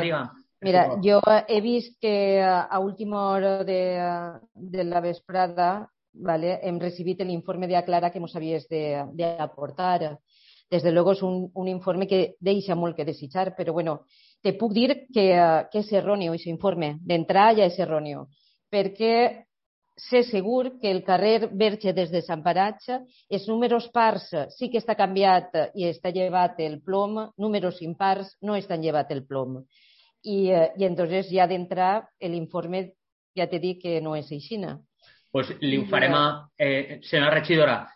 diga. Mira, jo he vist que a última hora de la vesprada, ¿vale? Hem recibit l'informe de Aclara que ens havies d'aportar. Desde luego és un informe que deixa molt que desitjar, però bueno, te puc dir que és erroni aquest informe. D'entrada ja és erroni, perquè sé segur que el carrer Verge des de Sant Paratge, els números pars sí que està canviat i està llevat el plom, números impars no estan llevat el plom. Y entonces ya de entrar el informe ja te dic que no és aixina. Pues li ho farem a... senyora regidora,